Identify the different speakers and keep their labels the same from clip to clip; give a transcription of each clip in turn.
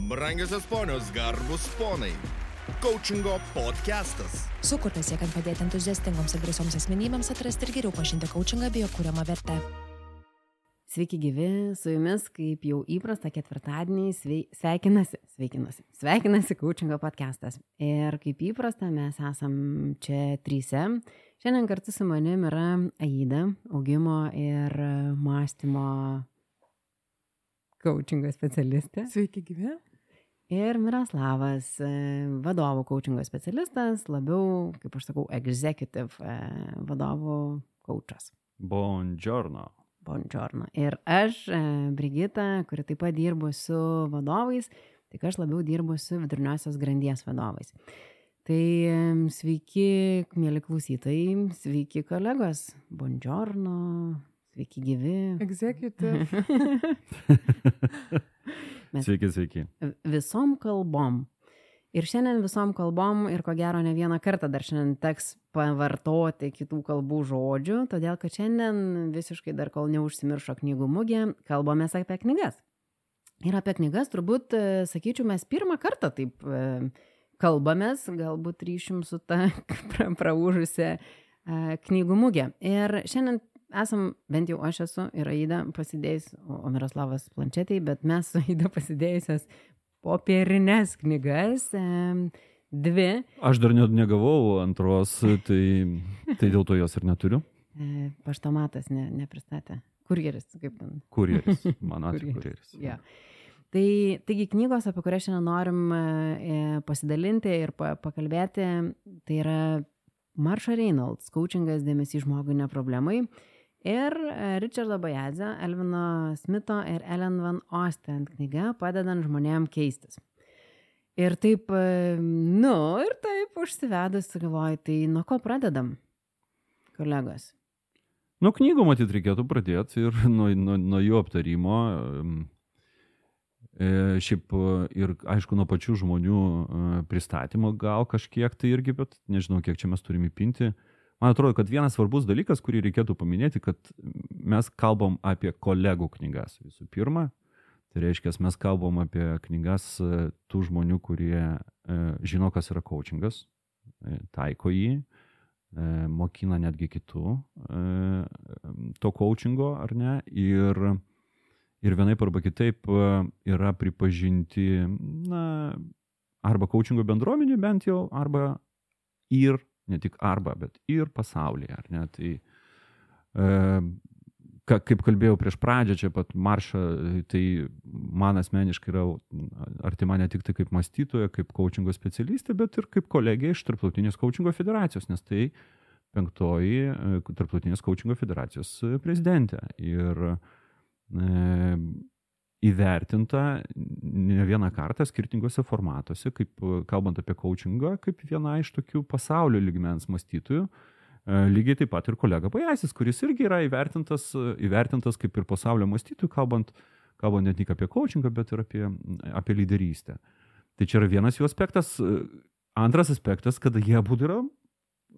Speaker 1: Brangiosios ponios, garbus ponai. Coachingo podcastas.
Speaker 2: Sukurtas siekiant padėti entuziastingoms ir drąsioms asmenybėms atrasti ir geriau pažinti coachingą bei jo kuriamą vertę.
Speaker 3: Sveiki gyvi, su jumis, kaip jau įprasta ketvirtadienį, sveikinasi Coachingo podcastas. Ir kaip įprasta, mes esam čia tryse. Šiandien kartu su manim yra Aida, augimo ir mąstymo coachingo specialistė.
Speaker 4: Sveiki gyvi.
Speaker 3: Ir Miroslavas, vadovų coachingo specialistas, labiau, kaip aš sakau, executive vadovų coachas.
Speaker 5: Buongiorno.
Speaker 3: Buongiorno. Ir aš, Brigita, kuri taip pat dirbu su vadovais, tik aš labiau dirbu su viduriniosios grandies vadovais. Tai sveiki, mėly klausytojai, sveiki kolegos. Buongiorno, sveiki gyvi.
Speaker 4: Executive.
Speaker 5: Sveiki.
Speaker 3: Visom kalbom. Ir šiandien visom kalbom ir ko gero ne vieną kartą dar šiandien teks pavartoti kitų kalbų žodžių, todėl kad šiandien visiškai dar kol neužsimiršo knygų mugė, kalbamės apie knygas. Ir apie knygas turbūt, sakyčiau, mes pirmą kartą taip kalbamės, galbūt ryšim su ta praūžusia knygų mugė. Ir šiandien esam, bent jau aš esu ir Aida pasidėjus, o Miroslavas planšetėj, bet mes su Aida pasidėjusias popierinės knygas, dvi.
Speaker 5: Aš dar negavau antros, tai dėl to jos ir neturiu.
Speaker 3: Paštomatas nepristatė. Kurjeris, kaip ten?
Speaker 5: Kurjeris, man atveju kurjeris.
Speaker 3: Ja. Taigi knygos, apie kurias šiandien norim pasidalinti ir pakalbėti, tai yra Marsha Reynolds, Coachingas dėmesys žmogui ne problemai, ir Richardo Bajadzio, Elvino Smito ir Ellen Van Osten knyga Padedant žmonėm keistis. Ir taip, užsivedus, galvoju, tai nuo ko pradedam, kolegos?
Speaker 5: Nuo knygų matyt reikėtų pradėti ir nuo jų aptarimo. Šiaip ir, aišku, nuo pačių žmonių pristatymo gal kažkiek tai irgi, bet nežinau, kiek čia mes turime įpinti. Man atrodo, kad vienas svarbus dalykas, kurį reikėtų paminėti, kad mes kalbam apie kolegų knygas visų pirma. Tai reiškia, mes kalbam apie knygas tų žmonių, kurie žino, kas yra coachingas, taiko jį, mokina netgi kitų to coachingo, ar ne, ir vienaip arba kitaip yra pripažinti, arba coachingo bendruomenė bent jau, arba ir, ne tik arba, bet ir pasaulyje, ar ne, tai kaip kalbėjau prieš pradžią, čia pat Marsha, tai man asmeniškai yra artima ne tik tai kaip mąstytoja, kaip coachingo specialistė, bet ir kaip kolegė iš Tarptautinės coachingo federacijos, nes tai 5. Tarptautinės coachingo federacijos prezidentė. Ir įvertinta ne vieną kartą skirtingose formatuose, kaip kalbant apie coachingą, kaip viena iš tokių pasaulio lygmens mąstytojų. Lygiai taip pat ir kolega Bajadzis, kuris irgi yra įvertintas kaip ir pasaulio mąstytojų, kalbant ne tik apie coachingą, bet ir apie lyderystę. Tai čia yra vienas jų aspektas. Antras aspektas, kad jie abudu yra,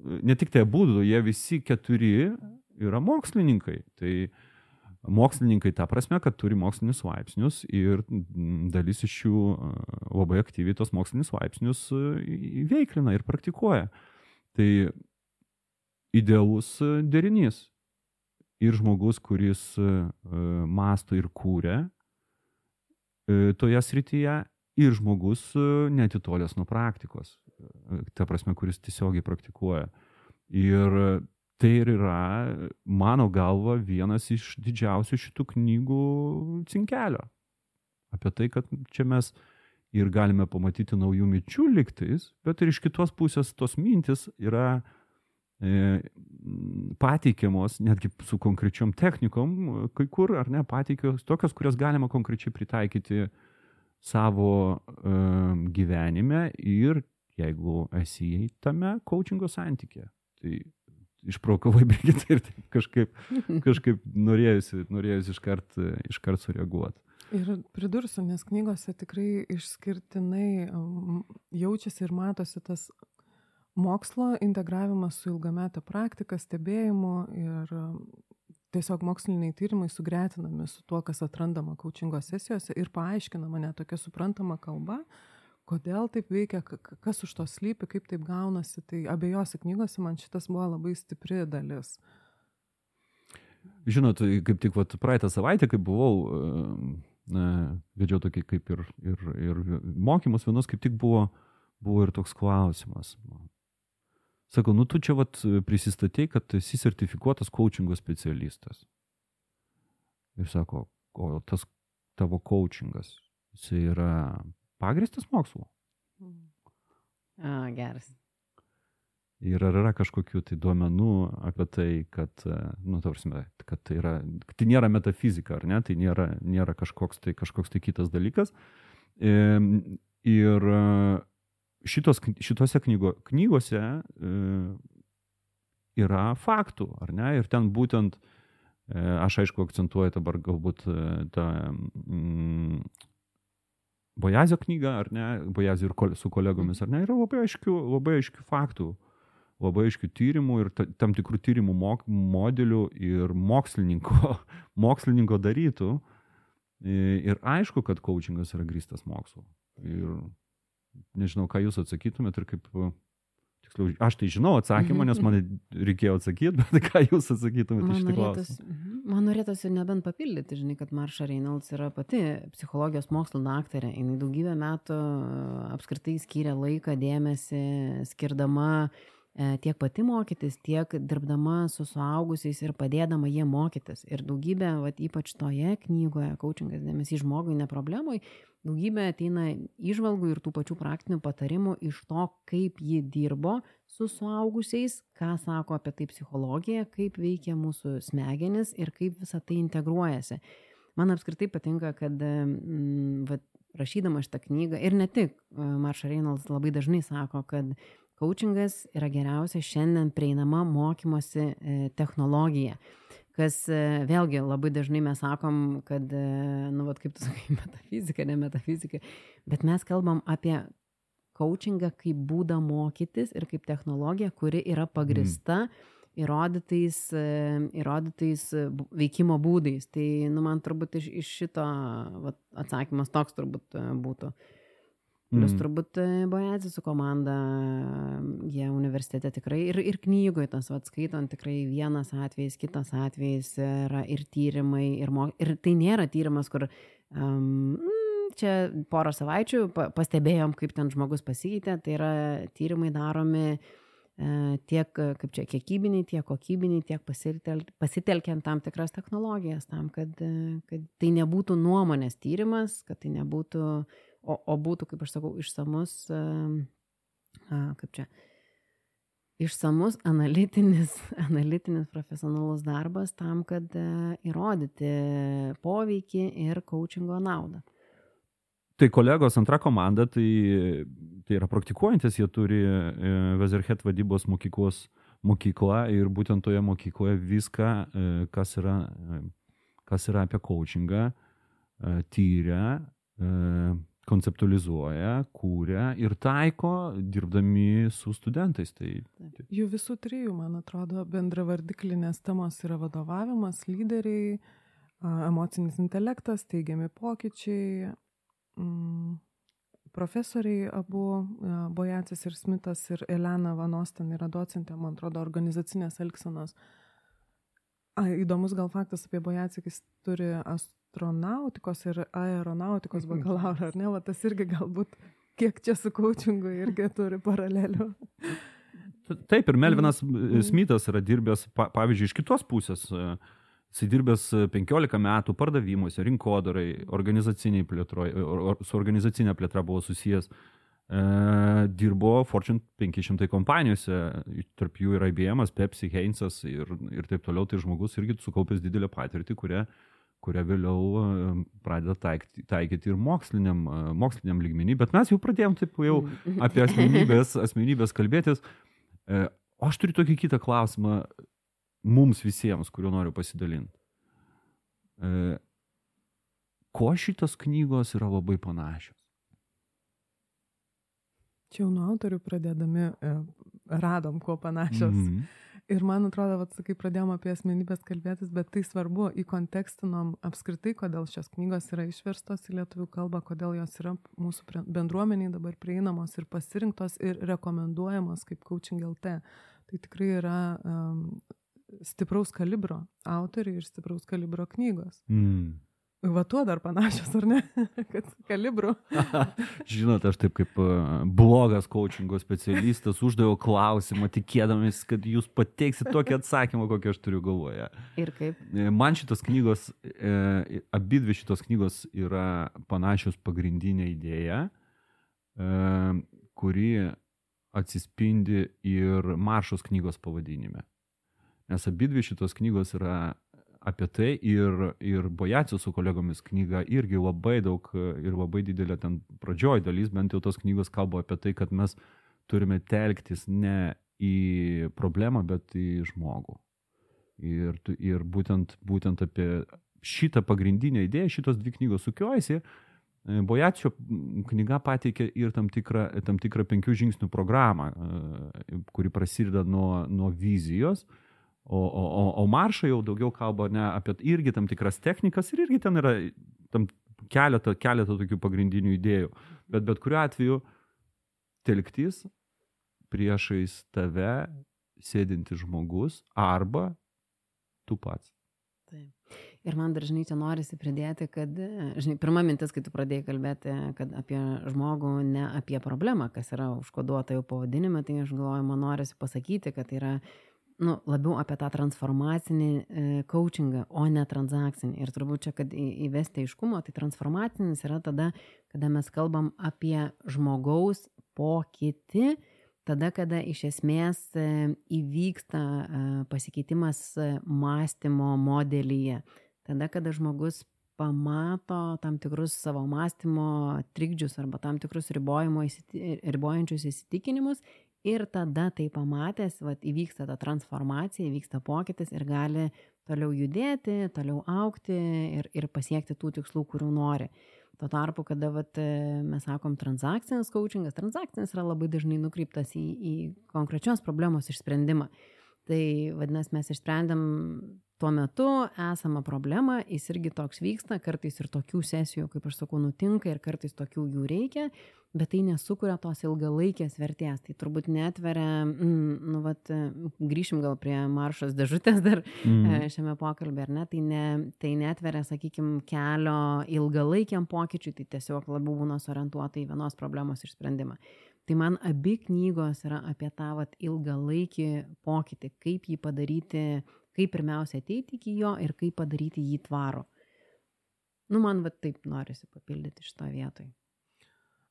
Speaker 5: ne tik tai abudu, jie visi 4 yra mokslininkai. Tai mokslininkai ta prasme, kad turi mokslinius laipsnius ir dalis iš jų labai aktyviai tos mokslinius laipsnius įveiklina ir praktikuoja. Tai idealus derinys. Ir žmogus, kuris mąsto ir kūrė toje srityje, ir žmogus neatitolęs nuo praktikos. Ta prasme, kuris tiesiogiai praktikuoja. Ir tai ir yra, mano galva, vienas iš didžiausių šitų knygų cinkelio. Apie tai, kad čia mes ir galime pamatyti naujų minčių lygtais, bet ir iš kitos pusės tos mintis yra pateikiamos netgi su konkrečiom technikom, kai kur, ar ne, pateikios tokios, kurias galima konkrečiai pritaikyti savo gyvenime ir jeigu esi tame coachingo santykė. Tai išprovokavai Brigitą ir kažkaip norėjusi iškart sureaguoti.
Speaker 4: Ir pridursiu, nes knygose tikrai išskirtinai jaučiasi ir matosi tas mokslo integravimas su ilgametė praktika, stebėjimu ir tiesiog moksliniai tyrimai sugretinami su tuo, kas atrandama coachingo sesijose ir paaiškinama net tokia suprantama kalba, kodėl taip veikia, kas už to slypi, kaip taip gaunasi. Tai abiejose knygose man šitas buvo labai stipri dalis.
Speaker 5: Žinot, kaip tik praeitą savaitę, kai buvau, vedžiau tokį kaip ir mokymus vienus, kaip tik buvo ir toks klausimas. Sako, tu čia prisistatei, kad esi sertifikuotas coachingo specialistas. Ir sako, o tas tavo coachingas, jis yra pagrįstas mokslu?
Speaker 3: Geras.
Speaker 5: Ir ar yra kažkokių tai duomenų apie tai, kad, kad tai nėra metafizika, ar ne? Tai nėra kažkoks tai kitas dalykas. Ir šitose knygose yra faktų, ar ne? Ir ten būtent, aš aišku akcentuoju dabar galbūt tą Boazio knygą, ar ne? Boazio ir su kolegomis, ar ne? Yra labai aiškių faktų, labai aiškių tyrimų ir tam tikrų tyrimų modelių ir mokslininko darytų. Ir aišku, kad coachingas yra grįstas mokslu. Ir nežinau, ką jūs atsakytumėt ir kaip, tiksliau, aš tai žinau atsakymą, nes man reikėjo atsakyti, bet ką jūs atsakytumėt iš šitą klausimą?
Speaker 3: Man norėtųsi nebent papildyti, žinai, kad Marsha Reynolds yra pati psichologijos mokslų daktarė. Jis daugybę metų apskritai skyrė laiką, dėmesį, skirdama tiek pati mokytis, tiek dirbdama su suaugusiais ir padėdama jie mokytis. Ir daugybė, ypač toje knygoje, coachingas dėmesys žmogui, ne problemui, daugybė ateina įžvalgų ir tų pačių praktinių patarimų iš to, kaip ji dirbo su suaugusiais, ką sako apie tai psichologija, kaip veikia mūsų smegenis ir kaip visa tai integruojasi. Man apskritai patinka, kad rašydama šitą knygą, ir ne tik, Marsha Reynolds labai dažnai sako, kad coachingas yra geriausia šiandien prieinama mokymosi technologija, kas vėlgi labai dažnai mes sakom, kad, kaip tu sakai, metafizika, ne metafizika, bet mes kalbam apie coachingą kaip būdą mokytis ir kaip technologija, kuri yra pagrįsta įrodytais veikimo būdais. Tai, man turbūt iš šito atsakymas toks turbūt būtų. Plius turbūt Boazio su komanda, jie universitete tikrai ir knygoje tas skaitant tikrai vienas atvejis, kitas atvejis yra ir tyrimai, ir tai nėra tyrimas, kur čia porą savaičių pastebėjom, kaip ten žmogus pasikeitė, tai yra tyrimai daromi tiek kiekybiniai, tiek kokybiniai, tiek pasitelkiant tam tikras technologijas, tam, kad tai nebūtų nuomonės tyrimas, kad tai nebūtų o būtų, kaip aš sakau, išsamus analitinis profesionalus darbas tam, kad įrodyti poveikį ir coachingo naudą.
Speaker 5: Tai kolegos, antra komanda, tai yra praktikuojantis, jie turi Vezerhet vadybos mokyklą ir būtent toje mokykloje viską, kas yra apie coachingą, tyria, konceptualizuoja, kūrė ir taiko, dirbdami su studentais.
Speaker 4: Jų visų trijų, man atrodo, bendravardiklinės temos yra vadovavimas, lyderiai, emocinis intelektas, teigiami pokyčiai, profesoriai abu, Bojacis ir Smithas ir Elena Van Osten yra docentė, man atrodo, organizacinės elgsenos. Įdomus gal faktas apie Bojacį, jis turi astronautikos ir aeronautikos bakalaurą, ar ne? Tas irgi galbūt, kiek čia su coachingu irgi turi paralelių.
Speaker 5: Taip, ir Melvinas Smithas yra dirbęs, pavyzdžiui, iš kitos pusės. Jis dirbęs 15 metų pardavimuose, rinkodarai, organizaciniai plėtroje, su organizacinė plėtra buvo susijęs. Dirbo Fortune 500 kompanijose, tarp jų yra IBM'as, Pepsi, Heinzas ir taip toliau. Tai žmogus irgi sukaupęs didelę patirtį, kurią vėliau pradeda taikyti ir moksliniam lygmenį. Bet mes jau pradėjom taip jau apie asmenybės kalbėtis. O aš turiu tokį kitą klausimą mums visiems, kuriuo noriu pasidalinti. Ko šitos knygos yra labai panašios?
Speaker 4: Čia jau nuo autorių pradėdami radom, kuo panašios. Ir man atrodo, kai pradėjom apie asmenybės kalbėtis, bet tai svarbu, įkontekstinom apskritai, kodėl šios knygos yra išverstos į lietuvių kalbą, kodėl jos yra mūsų bendruomeniai dabar prieinamos ir pasirinktos ir rekomenduojamos kaip Coaching LT. Tai tikrai yra stipraus kalibro autoriai ir stipraus kalibro knygos. Va tuo dar panašios, ar ne? Kad kalibru.
Speaker 5: Žinot, aš taip kaip blogas coachingo specialistas uždaviau klausimą, tikėdamis, kad jūs pateiksit tokį atsakymą, kokį aš turiu galvoje.
Speaker 3: Ir kaip?
Speaker 5: Man šitos knygos, abidvi šitos knygos yra panašios pagrindinė idėja, kuri atsispindi ir Maršos knygos pavadinime. Nes abidvi šitos knygos yra apie tai ir Bojacio su kolegomis knyga irgi labai daug ir labai didelė ten pradžioj dalis, bent jau tos knygos kalba apie tai, kad mes turime telktis ne į problemą, bet į žmogų. Ir būtent apie šitą pagrindinę idėją, šitos dvi knygos sukiojasi, Bojacio knyga pateikia ir tam tikrą 5 žingsnių programą, kuri prasideda nuo vizijos, o Marša jau daugiau kalba ne apie irgi tam tikras technikas ir irgi ten yra tam keletą tokių pagrindinių idėjų. Bet kuriuo atveju telktis priešais tave sėdintis žmogus arba tu pats.
Speaker 3: Taip. Ir man dar, žinai, čia norisi pridėti, kad, žinai, pirma mintis, kai tu pradėjai kalbėti, kad apie žmogų, ne apie problemą, kas yra užkoduota jau pavadinime, tai aš galvoju, man norisi pasakyti, kad tai yra labiau apie tą transformacinį coachingą, o ne transakcinį. Ir turbūt čia, kad įvesti aiškumo, tai transformacinis yra tada, kada mes kalbam apie žmogaus pokytį, tada, kada iš esmės įvyksta pasikeitimas mąstymo modelyje. Tada, kada žmogus pamato tam tikrus savo mąstymo trikdžius arba tam tikrus ribojančius įsitikinimus. Ir tada tai pamatęs, įvyksta ta transformacija, įvyksta pokytis ir gali toliau judėti, toliau augti ir pasiekti tų tikslų, kurių nori. Tuo tarpu, kada mes sakom transakcinis coachingas, transakcinis yra labai dažnai nukreiptas į konkrečios problemos išsprendimą. Tai vadinasi, mes išsprendėm tuo metu esamą problemą, jis irgi toks vyksta, kartais ir tokių sesijų, kaip aš sakau, nutinka ir kartais tokių jų reikia, bet tai nesukuria tos ilgalaikės vertės. Tai turbūt netveria, grįšim gal prie Maršos dėžutės dar šiame pokalbė, ar ne, tai netveria, sakykime, kelio ilgalaikiam pokyčiui, tai tiesiog labiau būna orientuota į vienos problemos išsprendimą. Tai man abi knygos yra apie tą ilgalaikį pokytį, kaip jį padaryti, kaip pirmiausia ateiti iki jo ir kaip padaryti jį tvarų. Man taip norisi papildyti šitą vietoj.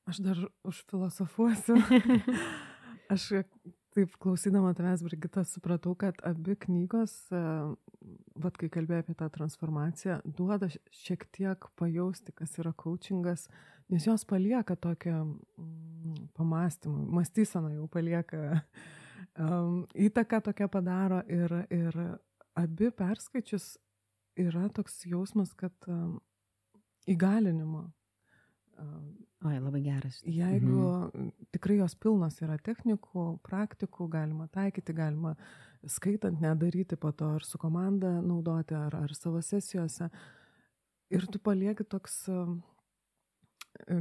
Speaker 4: Aš dar užfilosofuosiu. Aš taip klausydama tavęs, Brigita, supratau, kad abi knygos, kai kalbėjau apie tą transformaciją, duoda šiek tiek pajausti, kas yra coachingas, nes jos palieka tokią pamąstymą, mąstyseną jau palieka, įtaką tokią padaro ir abi perskaičius yra toks jausmas, kad įgalinimo.
Speaker 3: Oi, labai geras.
Speaker 4: Jeigu tikrai jos pilnos yra technikų, praktikų, galima taikyti, galima skaitant nedaryti po to ar su komanda naudoti, ar savo sesijose. Ir tu palieki toks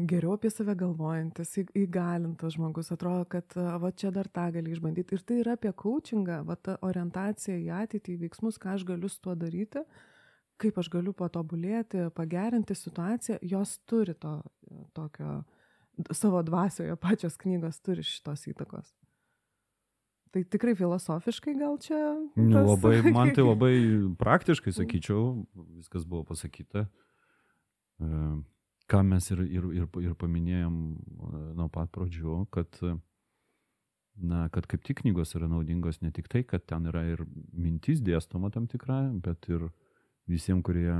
Speaker 4: geriau apie save galvojantis, įgalintas žmogus. Atrodo, kad čia dar tą gali išbandyti. Ir tai yra apie coachingą, ta orientacija į ateitį, į veiksmus, ką aš galiu su tuo daryti, kaip aš galiu patobulėti, pagerinti situaciją. Jos turi tokio, savo dvasioje pačios knygos turi šitos įtakos. Tai tikrai filosofiškai gal čia?
Speaker 5: Man tai labai praktiškai, sakyčiau, viskas buvo pasakyta. Ką mes ir paminėjom nuo pat pradžių, kad kaip tik knygos yra naudingos ne tik tai, kad ten yra ir mintis dėstoma tam tikra, bet ir visiems, kurie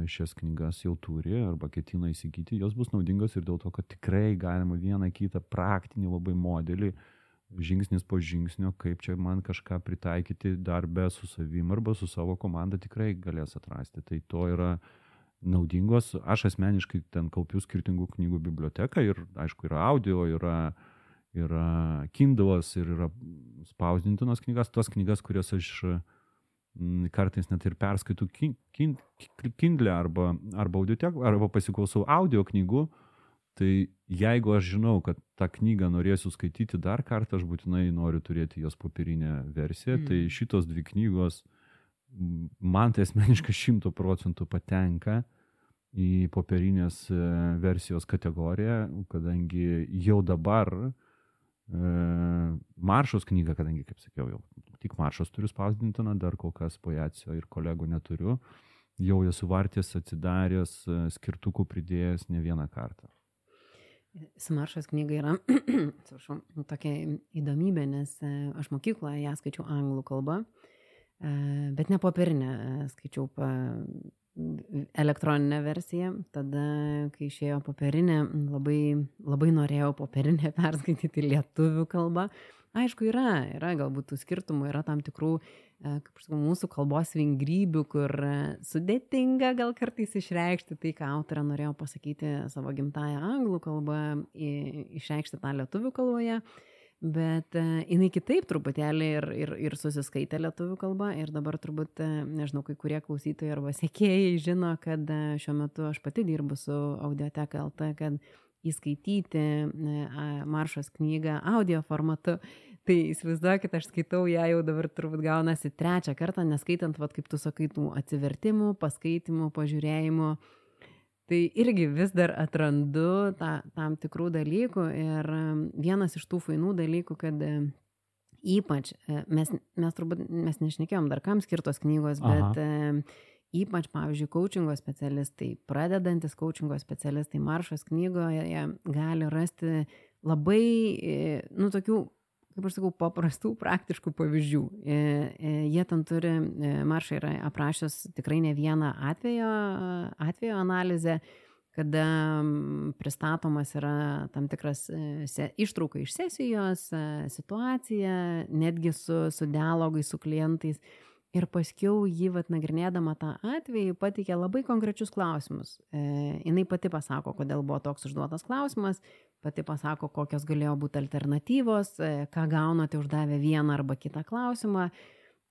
Speaker 5: šias knygas jau turi arba ketina įsigyti, jos bus naudingos ir dėl to, kad tikrai galima vieną kitą praktinį labai modelį, žingsnis po žingsnio, kaip čia man kažką pritaikyti darbe su savim arba su savo komanda, tikrai galės atrasti. Tai to yra naudingos. Aš asmeniškai ten kaupiu skirtingų knygų biblioteką ir, aišku, yra audio, yra Kindle'as ir yra spausdintinos knygas, tos knygas, kurias aš kartais net ir perskaitų Kindle arba audiotekų, arba pasiklausau audio knygų, tai jeigu aš žinau, kad tą knygą norėsiu skaityti dar kartą, aš būtinai noriu turėti jos popierinę versiją, tai šitos dvi knygos man tai asmeniškai 100% patenka į popierinės versijos kategoriją, kadangi jau dabar Maršos knyga, kadangi, kaip sakiau, jau tik Maršos turiu spausdintiną, dar kol kas Bojacio ir kolegų neturiu, jau esu vartęs, atsidaręs, skirtukų pridėjęs ne vieną kartą.
Speaker 3: Su Maršos knyga yra tokia įdomybė, nes aš mokykloje ją skaičiau anglų kalbą, bet ne popierinę, skaičiau elektroninę versiją. Tada, kai išėjo popierinė, labai norėjau popierinę perskaityti lietuvių kalbą. Aišku, yra galbūt tų skirtumų, yra tam tikrų, kaip aš sakau, mūsų kalbos vingrybių, kur sudėtinga gal kartais išreikšti tai, ką autorė norėjo pasakyti savo gimtąją anglų kalbą, išreikšti tą lietuvių kalboje. Bet jinai kitaip truputėlį ir susiskaitė lietuvių kalba ir dabar turbūt, nežinau, kai kurie klausytojai arba sekėjai žino, kad šiuo metu aš pati dirbu su Audioteka LT, kad įskaityti Maršos knygą audio formatu. Tai įsivaizduokit, aš skaitau ją jau dabar turbūt gaunasi 3 kartą, neskaitant, kaip tu sakai, tų atsivertimų, paskaitimų, pažiūrėjimų. Tai irgi vis dar atrandu tam tikrų dalykų ir vienas iš tų fainų dalykų, kad ypač, mes nešnekėjom dar kam skirtos knygos, bet ypač, pavyzdžiui, coachingo specialistai, pradedantis coachingo specialistai Maršos knygoje gali rasti labai, tokių, kaip aš sakau, paprastų, praktiškų pavyzdžių. Jie ten turi, Marša yra aprašęs tikrai ne vieną atvejo analizę, kada pristatomas yra tam tikras ištrauka iš sesijos, situacija, netgi su dialogai su klientais. Ir paskiau jį nagrinėdama tą atvejį pateikė labai konkrečius klausimus. Jinai pati pasako, kodėl buvo toks užduotas klausimas, pati pasako, kokios galėjo būti alternatyvos, ką gaunate uždavę vieną arba kitą klausimą.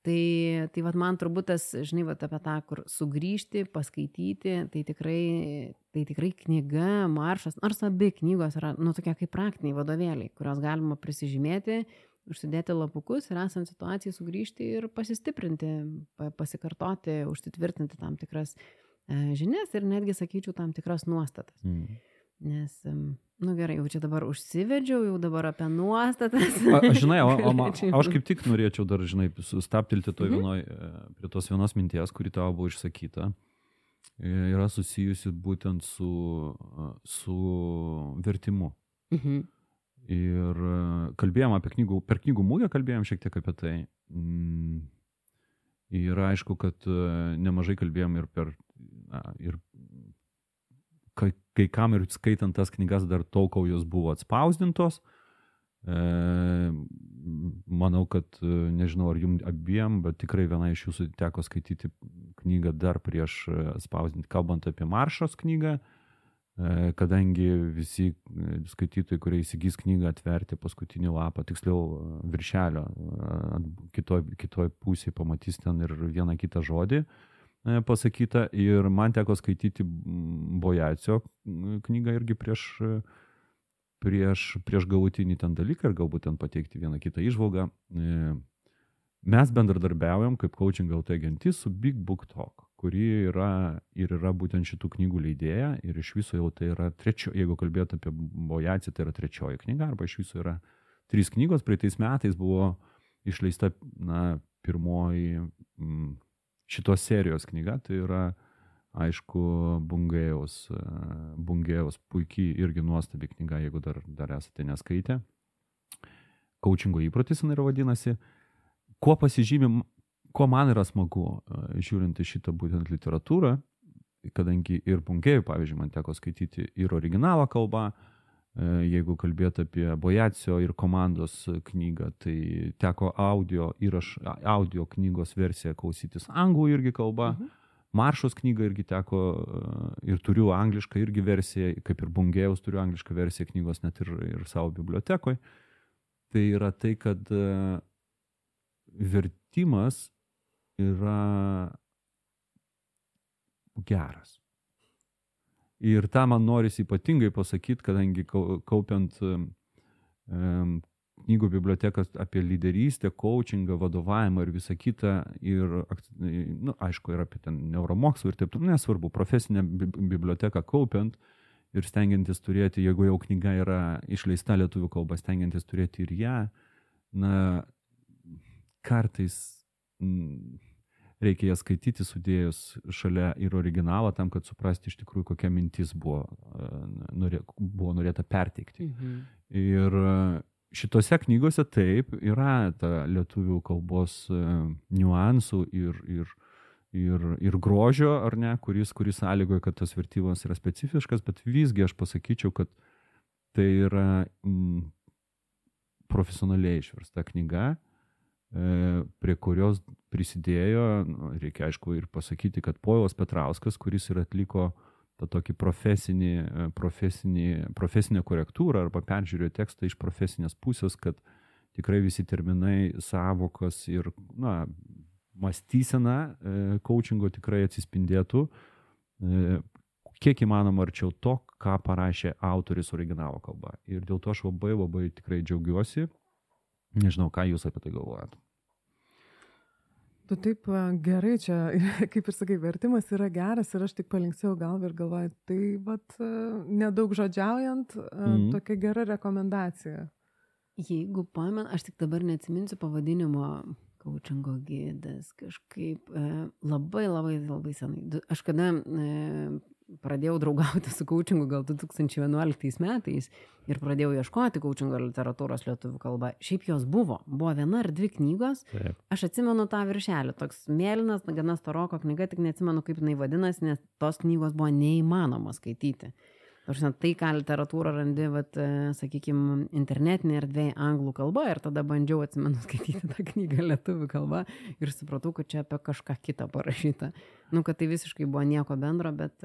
Speaker 3: Tai man turbūt tas, žinai, apie tą, kur sugrįžti, paskaityti, tai tikrai knyga, Maršas, nors abi knygos yra, tokie kaip praktiniai vadovėliai, kurios galima prisižymėti, užsidėti lapukus ir esant situacijai sugrįžti ir pasistiprinti, pasikartoti, užsitvirtinti tam tikras žinias ir netgi, sakyčiau, tam tikras nuostatas. Nes, gerai, jau čia dabar užsivedžiau, jau dabar apie nuostatas.
Speaker 5: Žinai, aš kaip tik norėčiau dar, žinai, sustaptilti prie tos vienos minties, kuri tavo buvo išsakyta, yra susijusi būtent su vertimu. Ir kalbėjom apie per knygų mugę kalbėjom šiek tiek apie tai. Ir aišku, kad nemažai kalbėjom ir kai kam ir skaitant tas knygas dar tol, kol jos buvo atspausdintos. Manau, kad nežinau, ar jums abiem, bet tikrai viena iš jūsų teko skaityti knygą dar prieš atspausdinti, kalbant apie Maršos knygą. Kadangi visi skaitytojai, kurie įsigys knygą, atverti paskutinį lapą, tiksliau viršelio, kitoj pusėje pamatys ten ir vieną kitą žodį pasakytą. Ir man teko skaityti Bojacio knygą irgi prieš galutinį ten dalyką ir galbūt ten pateikti vieną kitą įžvalgą. Mes bendradarbiaujam kaip Coaching LT gentis su Big Book Talk, kuri yra būtent šitų knygų leidėja ir iš viso jau tai yra jeigu kalbėtų apie Bojacį, tai yra 3 knyga, arba iš viso yra 3 knygos. Praeitais metais buvo išleista pirmoji šitos serijos knyga, tai yra, aišku, Bungėjaus puikiai irgi nuostabi knyga, jeigu dar esate neskaitę. Coachingo įprotis jinai yra vadinasi. Ko man yra smagu, žiūrint į šitą būtent literatūrą, kadangi ir Bungėjų, pavyzdžiui, man teko skaityti ir originalo kalbą, jeigu kalbėti apie Bojacio ir komandos knygą, tai teko audio knygos versiją klausytis anglų irgi kalba, Maršos knygą irgi teko ir turiu anglišką irgi versiją, kaip ir Bungėjaus turiu anglišką versiją knygos net ir savo bibliotekoje. tai yra tai, kad vertimas yra geras. Ir tą man norisi ypatingai pasakyti, kadangi kaupiant knygų bibliotekas apie lyderystę, coachingą, vadovavimą ir visą kitą, ir, aišku, ir apie ten neuromokslų ir taip, nesvarbu, profesinę biblioteką kaupiant ir stengiantis turėti, jeigu jau knyga yra išleista lietuvių kalba, stengiantis turėti ir ją, kartais reikia ją skaityti sudėjus šalia ir originalą tam, kad suprasti iš tikrųjų, kokia mintis buvo norėta perteikti. Ir šitose knygose taip yra ta lietuvių kalbos niuansų ir grožio, ar ne, kuris sąlygoja, kad tas vertimas yra specifiškas, bet visgi aš pasakyčiau, kad tai yra profesionaliai išversta knyga, prie kurios prisidėjo, reikia aišku ir pasakyti, kad Povilas Petrauskas, kuris ir atliko tą tokį profesinę korektūrą arba peržiūrėjo tekstą iš profesinės pusės, kad tikrai visi terminai, sąvokas ir mąstysena coachingo tikrai atsispindėtų kiek įmanoma arčiau to, ką parašė autoris originalo kalba. Ir dėl to aš labai tikrai džiaugiuosi. Nežinau, ką jūs apie tai galvojat.
Speaker 4: Tu taip gerai čia, kaip ir sakai, vertimas yra geras ir aš tik palinksėjau galvą ir galvoju, tai nedaug žodžiaujant, tokia gera rekomendacija.
Speaker 3: Jeigu pamenu, aš tik dabar neatsiminsiu pavadinimo coachingo gidas, kažkaip labai senai. Aš kada pradėjau draugauti su coachingu gal 2011 metais ir pradėjau ieškoti coachingo literatūros lietuvių kalba. Šiaip jos buvo viena ar dvi knygos.
Speaker 5: Taip.
Speaker 3: Aš atsimenu tą viršelį, toks mėlynas, gana storoko knyga, tik neatsimenu, kaip jinai vadinasi, nes tos knygos buvo neįmanoma skaityti. Tai, ką literatūrą randi, sakykime, internetinė erdvėje anglų kalba, ir tada bandžiau, atsimenu, skaityti tą knygą lietuvių kalba ir supratau, kad čia apie kažką kitą parašyta. Kad tai visiškai buvo nieko bendro, bet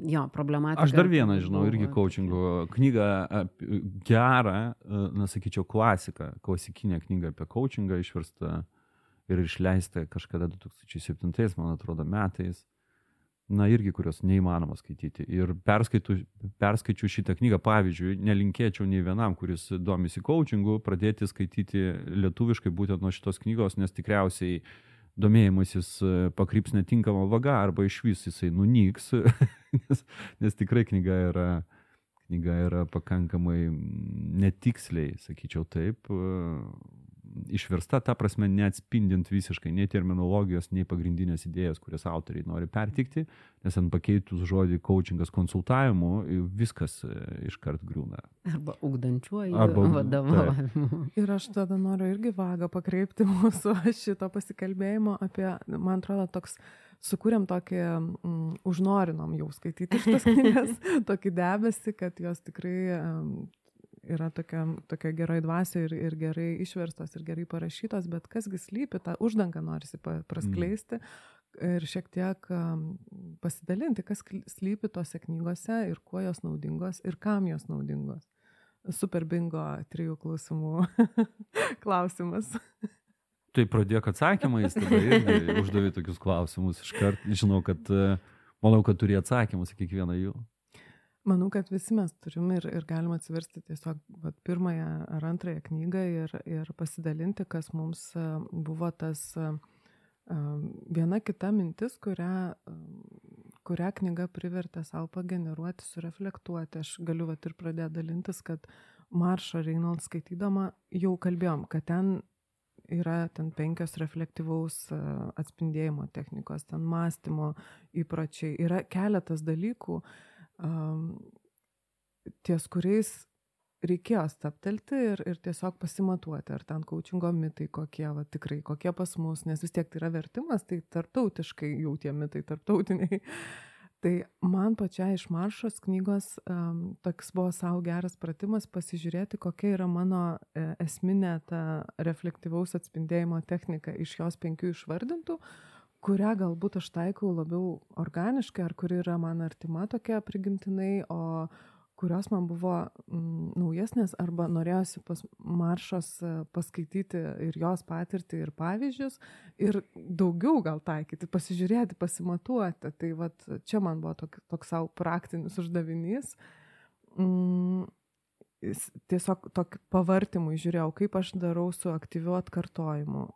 Speaker 3: jo, problematika.
Speaker 5: Aš dar vieną žinau, irgi coachingo knygą gerą, sakyčiau, klasikinę knygą apie coachingą išversta ir išleista kažkada 2007, man atrodo, metais. Irgi, kurios neįmanoma skaityti. Ir perskaičiu šitą knygą, pavyzdžiui, nelinkėčiau nei vienam, kuris domisi coachingu, pradėti skaityti lietuviškai būtent nuo šitos knygos, nes tikriausiai domėjimasis pakryps netinkama vaga arba išvis jisai nunyks, nes tikrai knyga yra pakankamai netiksliai, sakyčiau taip, išversta, ta prasme, neatspindint visiškai nei terminologijos, nei pagrindinės idėjas, kurias autoriai nori pertikti, nes ant pakeitus žodį coachingas konsultavimu, viskas iškart griūna.
Speaker 3: Arba ugdančiuoju vadovavimu.
Speaker 4: Ir aš tada noriu irgi vagą pakreipti mūsų šito pasikalbėjimo apie, man atrodo, toks sukūrėm tokį, užnorinom jau skaityti šitas knygas, tokį debesį, kad jos tikrai yra tokia gerai dvasia ir gerai išverstos ir gerai parašytos, bet kasgi slypi, tą uždangą norisi praskleisti ir šiek tiek pasidalinti, kas slypi tose knygose ir kuo jos naudingos ir kam jos naudingos. Super bingo 3 klausimų klausimas.
Speaker 5: Tai pradėk atsakymais, tada irgi uždavė tokius klausimus iškart. Manau, kad turi atsakymus į kiekvieną jų.
Speaker 4: Manau, kad visi mes turim ir galima atsiversti tiesiog pirmąją ar antrąją knygą ir pasidalinti, kas mums buvo tas viena kita mintis, kurią knyga privertė savo pageneruoti, sureflektuoti. Aš galiu ir pradėti dalintis, kad Marsha Reynolds skaitydama jau kalbėjom, kad ten yra 5 reflektyvaus atspindėjimo technikos, ten mąstymo įpročiai. Yra keletas dalykų, ties kuriais reikėjo stabtelti ir tiesiog pasimatuoti, ar ten coachingo mitai kokie, tikrai kokie pas mus, nes vis tiek tai yra vertimas, tai tarptautiškai jau tie mitai tarptautiniai. Tai man pačiai iš Maršos knygos toks buvo savo geras pratimas pasižiūrėti, kokia yra mano esminė ta reflektyvaus atspindėjimo technika iš jos 5 išvardintų, kurią galbūt aš taikau labiau organiškai, ar kuri yra man artima tokia prigimtinai, o kurios man buvo naujesnės arba norėjosi pas Maršos paskaityti ir jos patirtį ir pavyzdžius ir daugiau gal taikyti, pasižiūrėti, pasimatuoti. Tai vat čia man buvo toks savo praktinis uždavinys. Tiesiog tokį pavartymui žiūrėjau, kaip aš darau su aktyviu atkartojimu,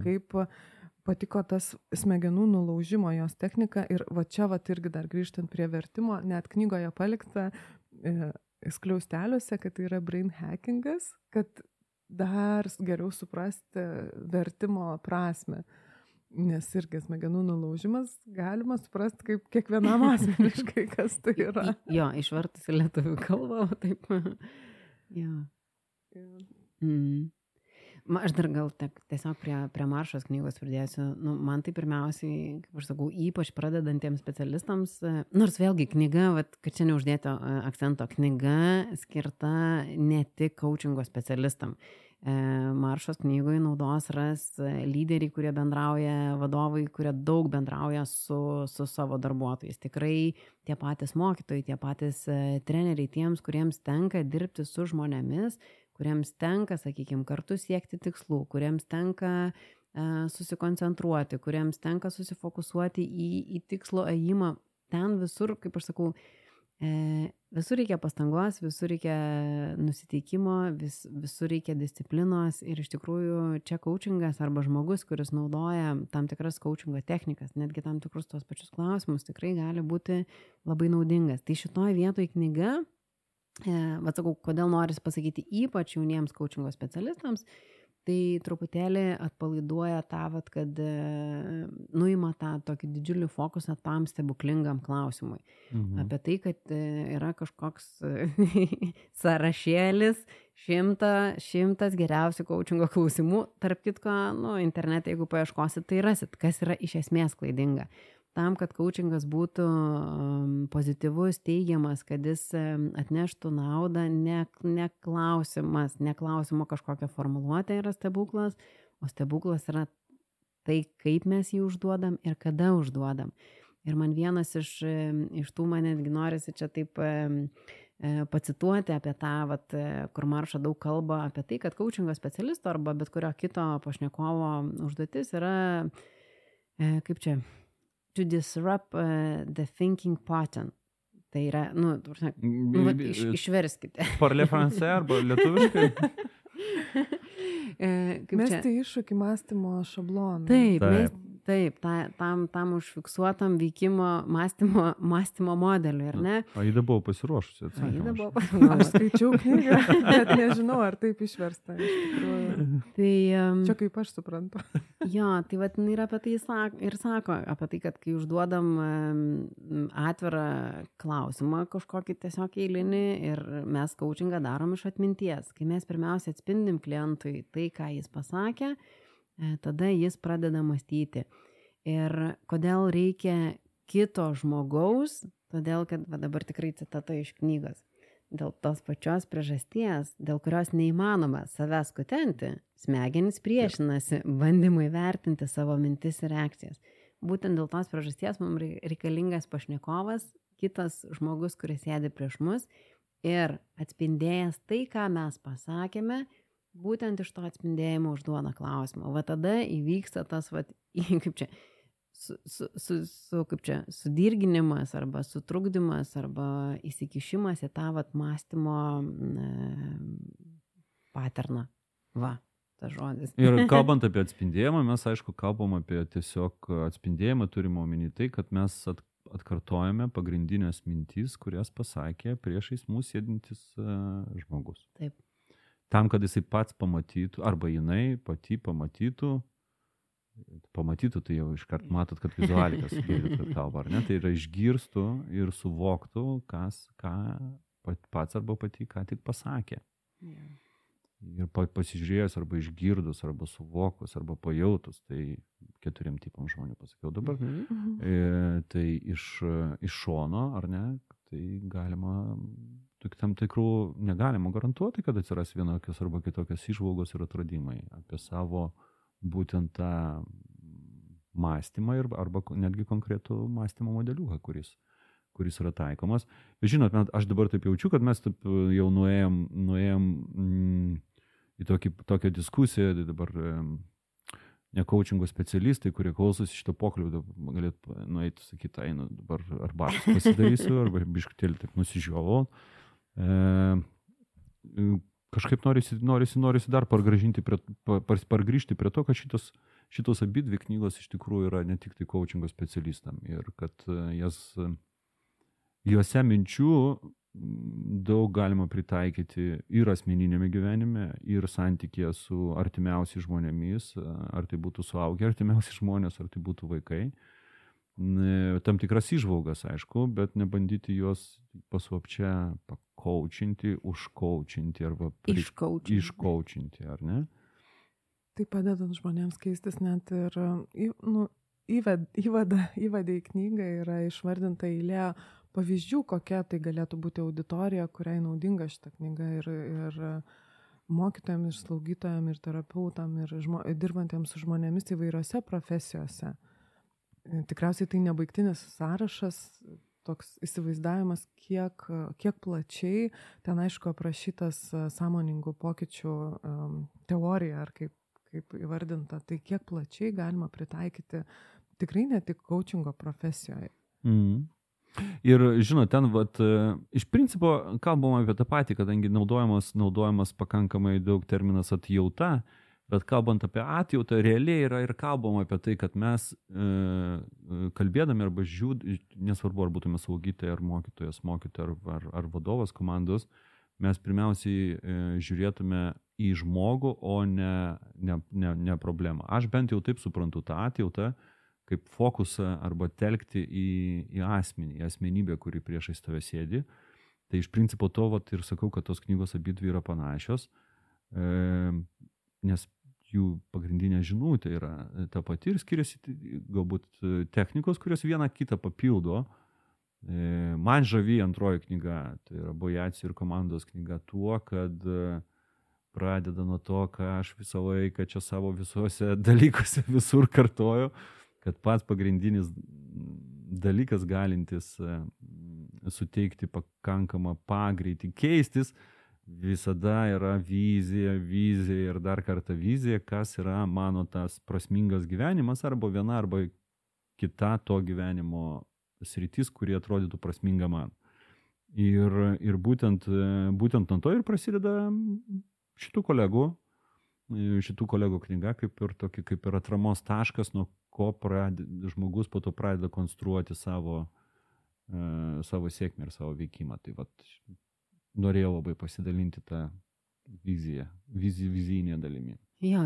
Speaker 4: kaip patiko tas smegenų nulaužimo jos technika ir va čia va irgi dar grįžtant prie vertimo, net knygoje palikta skliausteliuose, kad tai yra brain hackingas, kad dar geriau suprasti vertimo prasme. Nes irgi smegenų nulaužimas galima suprasti kaip kiekvienam asmeniškai, kas tai yra.
Speaker 3: Jo, išvertus į lietuvių kalbą, taip. Jo. Aš dar gal tiesiog prie Maršos knygos pridėsiu. Nu, man tai pirmiausiai, kaip aš sakau, ypač pradedantiems specialistams, nors vėlgi knyga, kad čia neuždėto akcento, knyga skirta ne tik coachingo specialistam. Maršos knygoje naudos ras lyderiai, kurie bendrauja, vadovai, kurie daug bendrauja su savo darbuotojais. Tikrai tie patys mokytojai, tie patys treneriai, tiems, kuriems tenka dirbti su žmonėmis, kuriems tenka, sakykime, kartu siekti tikslų, kuriems tenka susikoncentruoti, kuriems tenka susifokusuoti į tikslo ėjimą. Ten visur, kaip aš sakau, visur reikia pastangos, visur reikia nusiteikimo, visur reikia disciplinos ir iš tikrųjų čia coachingas arba žmogus, kuris naudoja tam tikras coachingo technikas, netgi tam tikrus tos pačius klausimus, tikrai gali būti labai naudingas. Tai šitoje vietoje knyga, bet sakau, kodėl norisi pasakyti ypač jauniems coachingo specialistams, tai truputėlį atpalaiduoja tą, kad nuima tą tokį didžiulį fokusą tam stebuklingam klausimui. Apie tai, kad yra kažkoks sąrašėlis, šimtas geriausių coachingo klausimų. Tarp kitko, internete, jeigu paieškosit, tai rasit, kas yra iš esmės klaidinga. Tam, kad coachingas būtų pozityvus, teigiamas, kad jis atneštų naudą, ne klausimo kažkokią formuluotę yra stebuklas, o stebuklas yra tai, kaip mes jį užduodam ir kada užduodam. Ir man vienas iš tų, man netgi norisi čia taip pacituoti apie tą, kur Marša daug kalba apie tai, kad coachingo specialisto arba bet kurio kito pašnekovo užduotis yra, kaip čia, to disrupt the thinking pattern. Tai yra, išverskite.
Speaker 5: Parle français arba lietuviškai?
Speaker 4: Mesti iššūkį mąstymo šabloną.
Speaker 3: Taip, tam užfiksuotam veikimo mąstymo modeliui, ar ne?
Speaker 5: Aida buvo pasiruošusi.
Speaker 4: Aš skaičiau knygą, bet nežinau, ar taip išversta. Čia kaip aš suprantu.
Speaker 3: Jo, tai ir apie tai ir sako, apie tai, kad kai užduodam atvirą klausimą kažkokį tiesiog eilinį ir mes coachingą darom iš atminties, kai mes pirmiausia atspindim klientui tai, ką jis pasakė, tada jis pradeda mąstyti. Ir kodėl reikia kito žmogaus, todėl, kad dabar tikrai citata iš knygos, dėl tos pačios priežasties, dėl kurios neįmanoma savęs kutenti, smegenys priešinasi bandymui vertinti savo mintis ir reakcijas. Būtent dėl tos priežasties mums reikalingas pašnekovas, kitas žmogus, kuris sėdi prieš mus ir atspindėjęs tai, ką mes pasakėme, būtent iš to atspindėjimo užduoda klausimą. Va tada įvyksta tas, kaip čia, sudirginimas arba sutrukdymas arba įsikišimas į tą mąstymo paterną. Va, tas žodis.
Speaker 5: Ir kalbant apie atspindėjimą, mes aišku kalbam apie tiesiog atspindėjimą, turime omeny tai, kad mes atkartojame pagrindinės mintys, kurias pasakė priešais mūsų sėdintis žmogus.
Speaker 3: Taip.
Speaker 5: Tam, kad jisai pats pamatytų, arba jinai pati pamatytų, tai jau iškart matot, kad vizualikas kalba, ar ne? Tai yra išgirstų ir suvoktų, ką pats arba pati ką tik pasakė. Ir pasižiūrėjus, arba išgirdus, arba suvokus, arba pajautus, tai 4 tipam žmonių pasakiau dabar. Tai iš šono, ar ne, tai galima... Tam tikrų negalima garantuoti, kad atsiras vienokios arba kitokios įžvalgos ir atradimai apie savo būtent tą mąstymą arba netgi konkretų mąstymo modeliuką, kuris kuris yra taikomas. Žinot, aš dabar taip jaučiu, kad mes taip jau nuėjom į tokią diskusiją, dabar ne coachingo specialistai, kurie klausosi šito pokalbio, galėtų nueiti, sakyti, einu dabar arbatos pasidarysiu, arba biškutėlį taip nusižiovau. Kažkaip norisi dar pargrįžti prie to, kad šitos abidvi knygos iš tikrųjų yra ne tik tai coachingo specialistam ir kad juose minčių daug galima pritaikyti ir asmeninėme gyvenime, ir santykėje su artimiausiais žmonėmis, ar tai būtų suaugę artimiausi žmonės, ar tai būtų vaikai. Tam tikras įžvalgas, aišku, bet nebandyti juos paslapčia pakaučinti, užkaučinti arba iškaučinti, ar ne?
Speaker 4: Tai padedant žmonėms keistis net ir įvadai į knygą yra išvardinta eilė pavyzdžių, kokia tai galėtų būti auditorija, kuriai naudinga šita knyga ir mokytojams, ir slaugytojams, ir terapeutam, ir dirbantiems su žmonėmis įvairiose profesijose. Tikriausiai tai nebaigtinis sąrašas, toks įsivaizdavimas, kiek plačiai, ten aišku aprašytas sąmoningų pokyčių teorija, ar kaip įvardinta, tai kiek plačiai galima pritaikyti tikrai ne tik coachingo profesijoje.
Speaker 5: Ir žinot, ten iš principo kalbama apie tą patį, kadangi naudojamas pakankamai daug terminas atjauta, bet kalbant apie atjautą, realiai yra ir kalbama apie tai, kad mes kalbėdami arba nesvarbu, ar būtume slaugytojai, ar mokytojas, ar vadovas komandos, mes pirmiausiai žiūrėtume į žmogų, o ne problemą. Aš bent jau taip suprantu tą atjautą, kaip fokusą arba telkti į asmenį, į asmenybę, kuri priešais tave sėdi. Tai iš principo to ir sakau, kad tos knygos abidvi yra panašios, nes jų pagrindinė žinutė yra ta pati ir skiriasi galbūt technikos, kurios vieną kitą papildo. Man žavi antroji knyga, tai yra Bojaci ir komandos knyga tuo, kad pradeda nuo to, ką aš visą laiką čia savo visuose dalykuose visur kartoju, kad pats pagrindinis dalykas galintis suteikti pakankamą pagreitį keistis, visada yra vizija ir dar kartą vizija, kas yra mano tas prasmingas gyvenimas, arba viena, arba kita to gyvenimo sritis, kurie atrodytų prasminga man. Ir būtent nuo to ir prasideda šitų kolegų knyga, kaip ir atramos taškas, nuo ko žmogus po to pradeda konstruoti savo sėkmę ir savo veikimą. Tai norėjau labai pasidalinti tą vizijinę dalimi.
Speaker 3: Jo,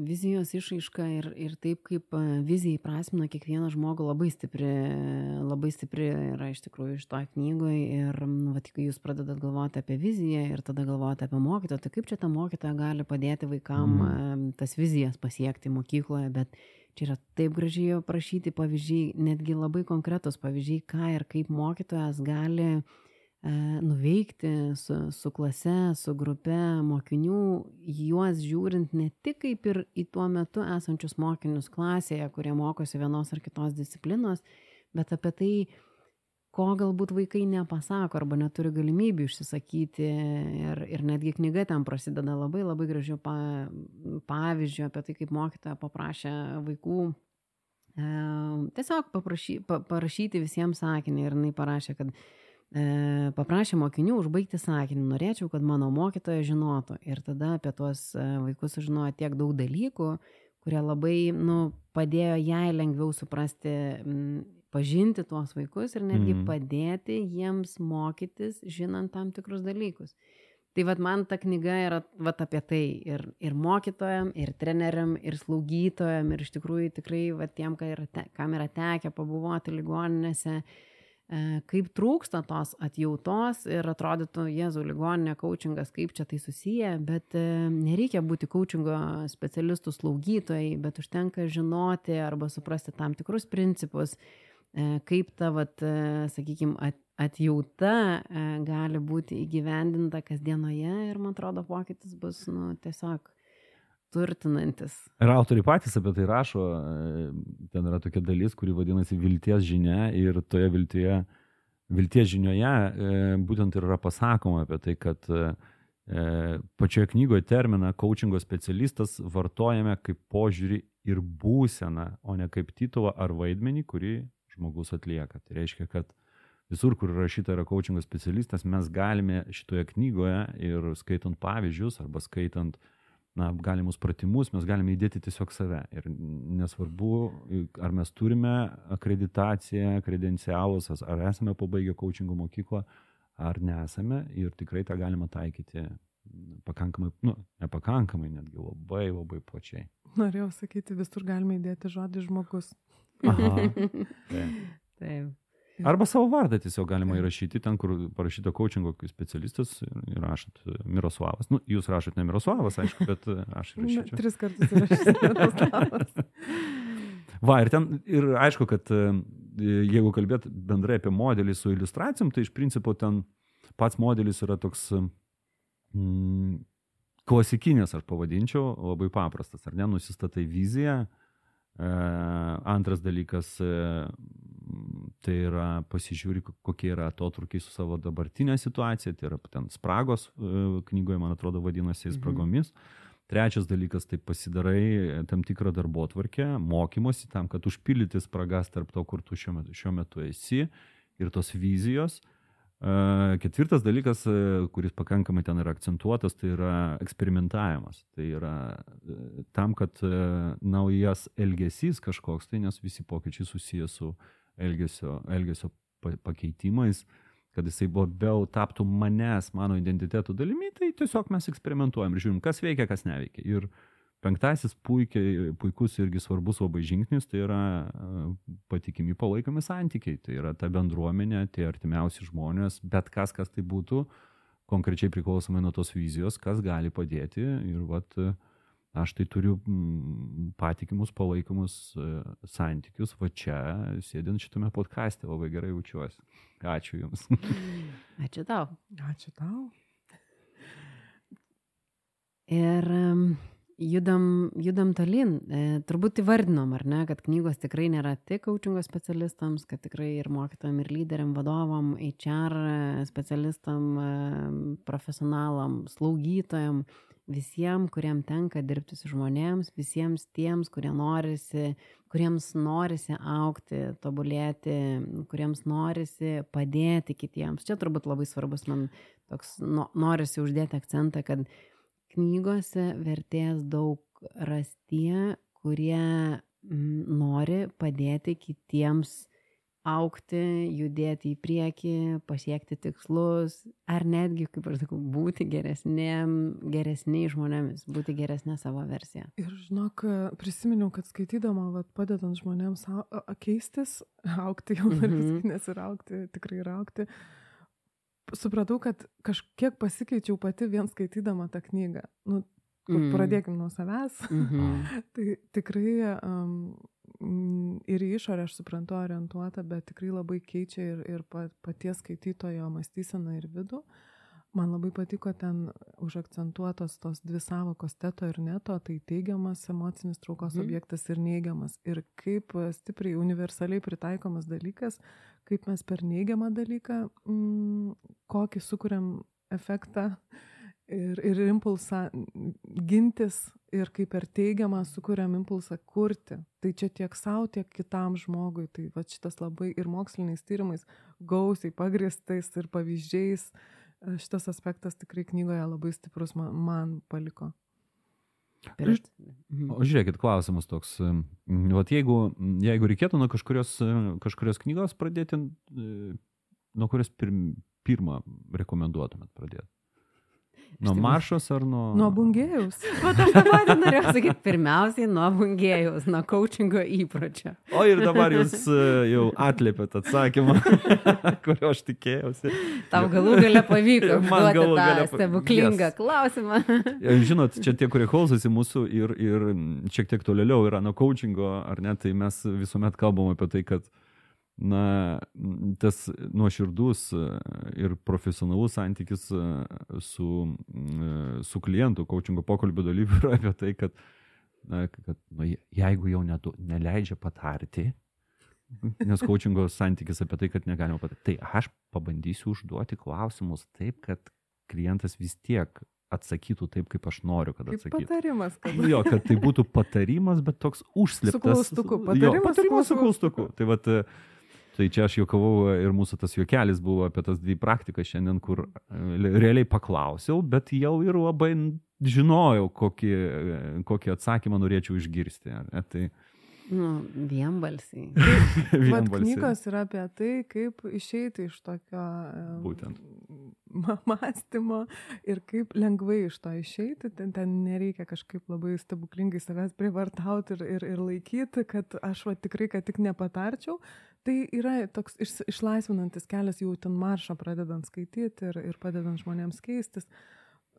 Speaker 3: vizijos išraiška ir taip, kaip vizija įprasmina kiekvieną žmogų labai stipri yra iš tikrųjų iš to knygoje. Ir kai jūs pradedat galvoti apie viziją ir tada galvoti apie mokytoją, tai kaip čia ta mokytoja gali padėti vaikam tas vizijas pasiekti mokykloje, bet čia yra taip gražiai aprašyti pavyzdžiai, netgi labai konkretus pavyzdžiai, ką ir kaip mokytojas gali nuveikti su klase, su grupe mokinių, juos žiūrint ne tik kaip ir į tuo metu esančius mokinius klasėje, kurie mokosi vienos ar kitos disciplinos, bet apie tai, ko galbūt vaikai nepasako arba neturi galimybių išsisakyti. Ir netgi knyga ten prasideda labai labai gražių pavyzdžių apie tai, kaip mokytoja paprašė vaikų tiesiog parašyti visiems sakinį. Ir jinai parašė, kad paprašė mokinių užbaigti sakinį, norėčiau, kad mano mokytoja žinotų. Ir tada apie tuos vaikus sužinojo tiek daug dalykų, kurie labai padėjo jai lengviau suprasti, pažinti tuos vaikus ir netgi padėti jiems mokytis, žinant tam tikrus dalykus. Tai man ta knyga yra apie tai ir mokytojam, ir treneriam, ir slaugytojam, ir iš tikrųjų tikrai tiem, kam yra tekę pabuvoti ligoninėse, kaip trūksta tos atjautos ir atrodytų, Jėzau, ligoninė, coachingas, kaip čia tai susiję, bet nereikia būti coachingo specialistų slaugytojai, bet užtenka žinoti arba suprasti tam tikrus principus, kaip ta, sakykime, atjauta gali būti įgyvendinta kasdienoje ir, man atrodo, pokytis bus tiesiog turtinantis.
Speaker 5: Ir autoriai patys apie tai rašo, ten yra tokia dalis, kuri vadinasi vilties žinia ir toje viltyje Vilties žinioje būtent ir yra pasakoma apie tai, kad pačioje knygoje terminą coachingo specialistas vartojame kaip požiūrį ir būseną, o ne kaip titulą ar vaidmenį, kurį žmogus atlieka. Tai reiškia, kad visur, kur rašyta yra coachingo specialistas, mes galime šitoje knygoje ir skaitant pavyzdžius arba skaitant galimus pratimus, mes galime įdėti tiesiog save. Ir nesvarbu, ar mes turime akreditaciją, kredencialus, ar esame pabaigę coachingo mokyklą, ar nesame. Ir tikrai tą galima taikyti pakankamai, nepakankamai, netgi labai, labai plačiai.
Speaker 4: Norėjau sakyti, visur galime įdėti žodį žmogus.
Speaker 5: Aha.
Speaker 3: Taip.
Speaker 5: Arba savo vardą tiesiog galima įrašyti, ten, kur parašyta coachingo specialistas, ir rašot Miroslavas. Jūs rašot ne Miroslavas, aišku, bet aš įrašyčiau.
Speaker 4: 3 kartus įrašysiu Miroslavas.
Speaker 5: Ir ten, ir aišku, kad jeigu kalbėt bendrai apie modelį su iliustracijom, tai iš principo ten pats modelis yra toks klasikinės, aš pavadinčiau, labai paprastas, ar ne, nusistatai viziją. Antras dalykas, tai yra pasižiūri, kokie yra atotrukiai su savo dabartinė situacija, tai yra ten spragos, knygoje, man atrodo, vadinasi spragomis. Trečias dalykas, tai pasidarai tam tikrą darbotvarkę, mokymosi tam, kad užpildyti spragas tarp to, kur tu šiuo metu esi ir tos vizijos. Ketvirtas dalykas, kuris pakankamai ten yra akcentuotas, tai yra eksperimentavimas. Tai yra tam, kad naujas elgesys kažkoks, tai nes visi pokyčiai susiję su elgesio pakeitimais, kad jisai labiau taptų mano identiteto dalimi, tai tiesiog mes eksperimentuojam ir žiūrim, kas veikia, kas neveikia. Ir penktasis puikus irgi svarbus labai žingsnis, tai yra patikimi palaikomi santykiai. Tai yra ta bendruomenė, tie artimiausi žmonės, bet kas tai būtų, konkrečiai priklausomai nuo tos vizijos, kas gali padėti. Ir aš tai turiu patikimus palaikomus santykius, čia sėdint šitame podcaste, labai gerai jaučiuosi. Ačiū Jums.
Speaker 3: Ačiū tau.
Speaker 4: Ačiū tau.
Speaker 3: Ir judam tolyn. Turbūt įvardinom, ar ne, kad knygos tikrai nėra tik coachingo specialistams, kad tikrai ir mokytojam, ir lyderiam, vadovam, HR specialistam, profesionalam, slaugytojam, visiems, kuriem tenka dirbti su žmonėms, visiems tiems, kuriems norisi augti, tobulėti, kuriems norisi padėti kitiems. Čia turbūt labai svarbus man toks, norisi uždėti akcentą, kad knygose vertės daug rastie, kurie nori padėti kitiems augti, judėti į priekį, pasiekti tikslus, ar netgi, kaip aš sakau, būti geresniai žmonėmis, būti geresnė savo versija.
Speaker 4: Ir žinok, prisiminiau, kad skaitydama, padedant žmonėms keistis, augti, jau nes ir augti, tikrai ir augti, supratau, kad kažkiek pasikeičiau pati vien skaitydama tą knygą. Pradėkim nuo savęs. Tai tikrai ir į išorę, aš suprantu, orientuota, bet tikrai labai keičia ir paties skaitytojo mąstyseną ir vidų. Man labai patiko ten užakcentuotos tos dvi sąvokos teto ir neto, tai teigiamas emocinis traukos objektas ir neigiamas. Ir kaip stipriai universaliai pritaikomas dalykas, kaip mes per neigiamą dalyką, kokį sukuriam efektą ir impulsą gintis ir kaip per teigiamą sukuriam impulsą kurti. Tai čia tiek savo, tiek kitam žmogui. Tai šitas labai ir moksliniais tyrimais gausiai pagrįstais ir pavyzdžiais. Šitas aspektas tikrai knygoje labai stiprus man paliko.
Speaker 5: O žiūrėkit, klausimas toks. Jeigu reikėtų nuo kažkurios knygos pradėti, nuo kurios pirmą rekomenduotumėt pradėti? Nuo Maršos ar nuo...
Speaker 4: Nuo Bungėjaus.
Speaker 3: Aš dabar norėjau sakyti, pirmiausiai nuo Bungėjaus, nuo coachingo įpročio.
Speaker 5: O ir dabar jūs jau atlėpėt atsakymą, kurio aš tikėjausi.
Speaker 3: Tau galų gale pavyko duoti tą stebuklingą klausimą.
Speaker 5: Žinot, čia tie, kurie klausosi mūsų ir šiek tiek tolėliau yra nuo coachingo, ar ne, tai mes visuomet kalbam apie tai, kad tas nuoširdus ir profesionalus santykis su klientu, coachingo pokalbio dalyviu yra apie tai, kad jeigu jau neleidžia patarti, nes coachingo santykis apie tai, kad negalima patarti. Tai aš pabandysiu užduoti klausimus taip, kad klientas vis tiek atsakytų taip, kaip aš noriu, kad atsakytų.
Speaker 4: Kaip patarimas, kad...
Speaker 5: Jo, kad tai būtų patarimas, bet toks užslėptas.
Speaker 4: Su klaustuku.
Speaker 5: Patarimas su klaustuku. Tai vat, tai čia aš juokavau ir mūsų tas juokelis buvo apie tas 2 praktikas šiandien, kur realiai paklausiau, bet jau ir labai žinojau, kokį atsakymą norėčiau išgirsti. Tai...
Speaker 3: Vienbalsiai.
Speaker 4: Vat knygos yra apie tai, kaip išeiti iš tokio mąstymo ir kaip lengvai iš to išeiti. Ten nereikia kažkaip labai stebuklingai savęs privartauti ir laikyti, kad aš tikrai, kad tik nepatarčiau. Tai yra toks išlaisvinantis kelias jau ten maršą pradedant skaityti ir padedant žmonėms keistis.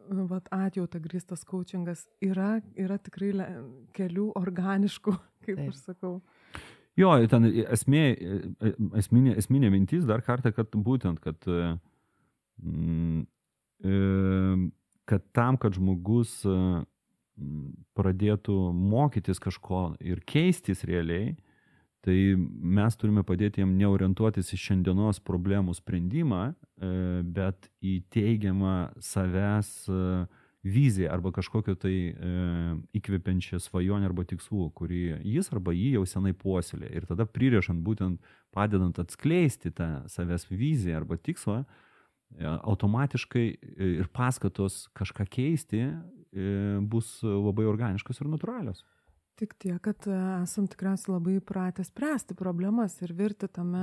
Speaker 4: Vat atjauta grįstas coachingas yra tikrai kelių organiškų, kaip aš sakau.
Speaker 5: Jo, ten esminė mintis dar kartą, kad būtent, kad tam, kad žmogus pradėtų mokytis kažko ir keistis realiai, tai mes turime padėti jam neorientuotis į šiandienos problemų sprendimą, bet į teigiamą savęs viziją arba kažkokio tai įkvepiančią svajonę arba tikslų, kurį jis arba jį jau senai puoselė. Ir tada pririšant, būtent padedant atskleisti tą savęs viziją arba tikslą, automatiškai ir paskatos kažką keisti bus labai organiškos ir natūralios.
Speaker 4: Tik tiek, kad esam tikriausiai labai įpratę spręsti problemas ir virti tame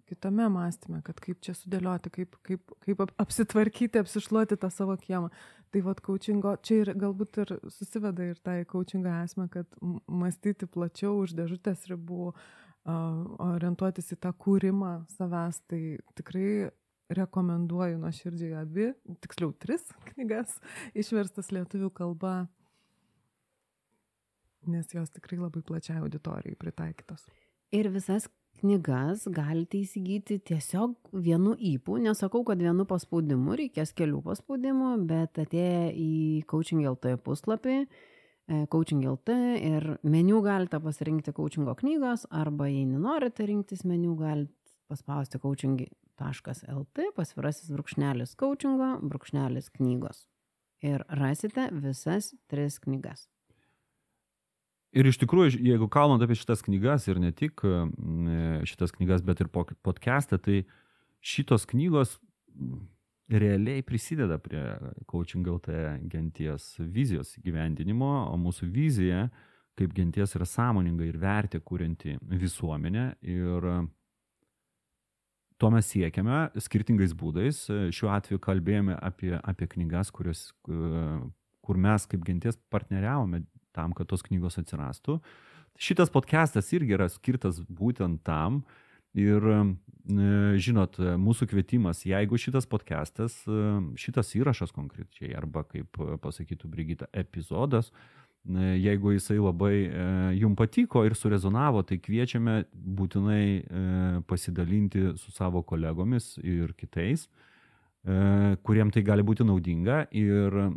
Speaker 4: kitame mąstyme, kad kaip čia sudėlioti, kaip apsitvarkyti, apsišluoti tą savo kiemą. Tai vat coachingo, čia ir galbūt ir susiveda ir tai coachingo esmę, kad mąstyti plačiau už dėžutės ribų, orientuotis į tą kūrimą savęs, tai tikrai rekomenduoju nuoširdžiai abi, tiksliau 3 knygas išverstas lietuvių kalba, nes jos tikrai labai plačiai auditorijai pritaikytos.
Speaker 3: Ir visas knygas galite įsigyti tiesiog vienu ypu, nesakau, kad vienu paspaudimu, reikės kelių paspaudimų, bet atėję į Coaching.lt puslapį, Coaching.lt ir meniu galite pasirinkti coachingo knygos, arba jei nenorite rinktis meniu, galite paspausti coaching.lt, / coachingo / knygos. Ir rasite visas 3 knygas.
Speaker 5: Ir iš tikrųjų, jeigu kalbant apie šitas knygas ir ne tik šitas knygas, bet ir podcastą, tai šitos knygos realiai prisideda prie Coaching.lt genties vizijos įgyvendinimo, o mūsų vizija kaip genties yra sąmoninga ir vertė kurianti visuomenę. Ir to mes siekiame skirtingais būdais. Šiuo atveju kalbėjome apie knygas, kur mes kaip genties partneriavome tam, kad tos knygos atsirastų. Šitas podcastas irgi yra skirtas būtent tam. Ir, žinot, mūsų kvietimas, jeigu šitas podcastas, šitas įrašas konkrečiai, arba, kaip pasakytų Brigita, epizodas, jeigu jisai labai jums patiko ir surezonavo, tai kviečiame būtinai pasidalinti su savo kolegomis ir kitais, kuriem tai gali būti naudinga, ir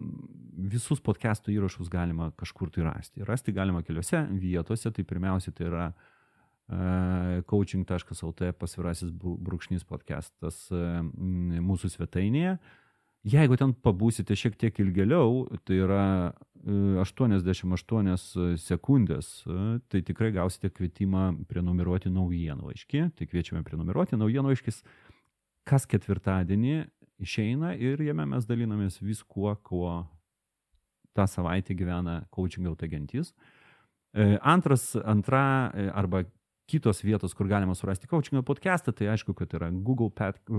Speaker 5: visus podcastų įrašus galima kažkur tai rasti. Rasti galima keliose vietose, tai pirmiausia tai yra coaching.lt / podcastas mūsų svetainėje. Jeigu ten pabūsite šiek tiek ilgėliau, tai yra 88 sekundės, tai tikrai gausite kvietimą prenumeruoti naujienlaiškį. Tai kviečiame prenumeruoti naujienlaiškis kas ketvirtadienį išeina, ir jame mes dalinamės viskuo, kuo tą savaitę gyvena Coaching.lt gentis. Antra arba kitos vietos, kur galima surasti coachingo podcastą, tai aišku, kad yra Google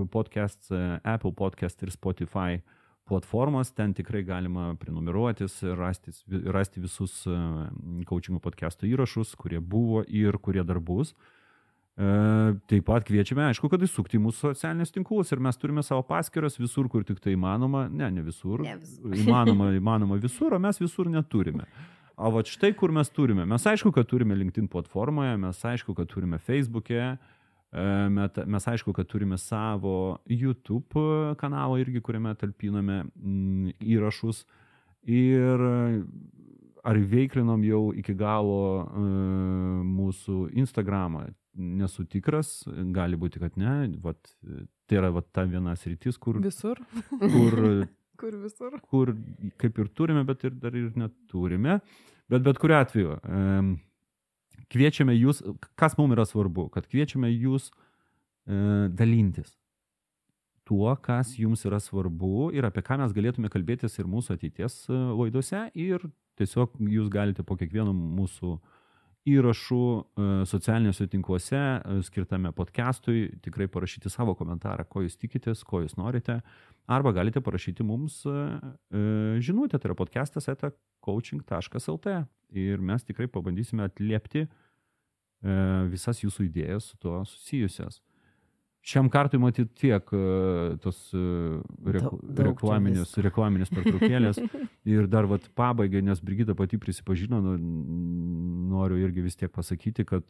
Speaker 5: Podcasts, Apple Podcast ir Spotify platformos. Ten tikrai galima prenumeruotis ir rasti visus coachingo podcastų įrašus, kurie buvo ir kurie dar bus. Taip pat kviečiame, aišku, kad įsukti mūsų socialinius tinklus, ir mes turime savo paskyras visur, kur tik tai įmanoma. Ne visur. Įmanoma visur, o mes visur neturime. O vat štai kur mes turime. Mes aišku, kad turime LinkedIn platformoje, mes aišku, kad turime Facebook'e, mes aišku, kad turime savo YouTube kanalą irgi, kuriame talpiname įrašus. Ir ar veiklinom jau iki galo mūsų Instagramą. nesu tikras, gali būti, kad ne. Vat, tai yra vat, ta viena sritis, kur...
Speaker 4: Visur.
Speaker 5: Kur
Speaker 4: visur.
Speaker 5: Kur kaip ir turime, bet ir dar ir neturime. Bet kuriuo atveju, kviečiame jūs, kas mums yra svarbu, kad kviečiame jūs dalintis tuo, kas jums yra svarbu ir apie ką mes galėtume kalbėtis ir mūsų ateities laidose ir tiesiog jūs galite po kiekvieno mūsų įrašų socialiniuose tinkluose skirtame podcastui tikrai parašyti savo komentarą, ko jūs tikitės, ko jūs norite, arba galite parašyti mums žinutę, tai yra podcastas@coaching.lt ir mes tikrai pabandysime atliepti visas jūsų idėjas su tuo susijusias. Šiam kartui matyti tiek tos reklaminės pertraukėlės ir dar vat pabaigai, nes Brigita pati prisipažino, noriu irgi vis tiek pasakyti, kad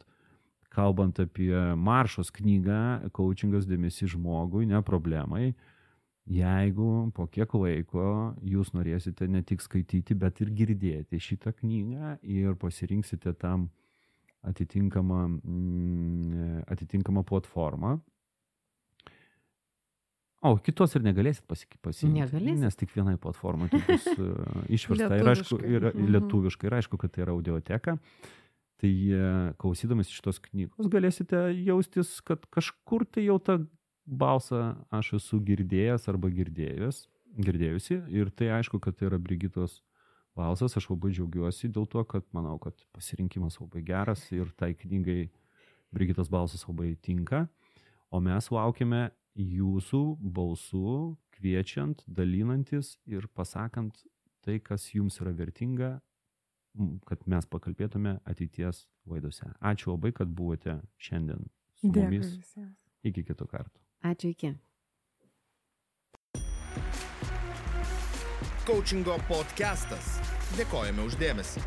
Speaker 5: kalbant apie Maršos knygą Coachingas dėmesys žmogui, ne problemai, jeigu po kiek laiko jūs norėsite ne tik skaityti, bet ir girdėti šitą knygą ir pasirinksite tam atitinkamą platformą. O, kitos ir negalėsit pasiimti.
Speaker 3: Negalėsit.
Speaker 5: Nes tik vienai platformai bus išversta ir aišku, lietuviškai. Ir aišku, kad tai yra audioteka. Tai klausydamas šitos knygos galėsite jaustis, kad kažkur tai jau tą balsą aš esu girdėjęs arba girdėjusi. Ir tai aišku, kad tai yra Brigitos balsas. Aš labai džiaugiuosi dėl to, kad manau, kad pasirinkimas labai geras ir tai knygai Brigitos balsas labai tinka. O mes laukiame jūsų balsų, kviečiant, dalinantis ir pasakant tai, kas jums yra vertinga, kad mes pakalbėtume ateities laidose. Ačiū labai, kad buvote šiandien su mumis. Iki kitų kartų.
Speaker 3: Ačiū, iki.
Speaker 1: Coachingo podcastas. Dėkojame už dėmesį.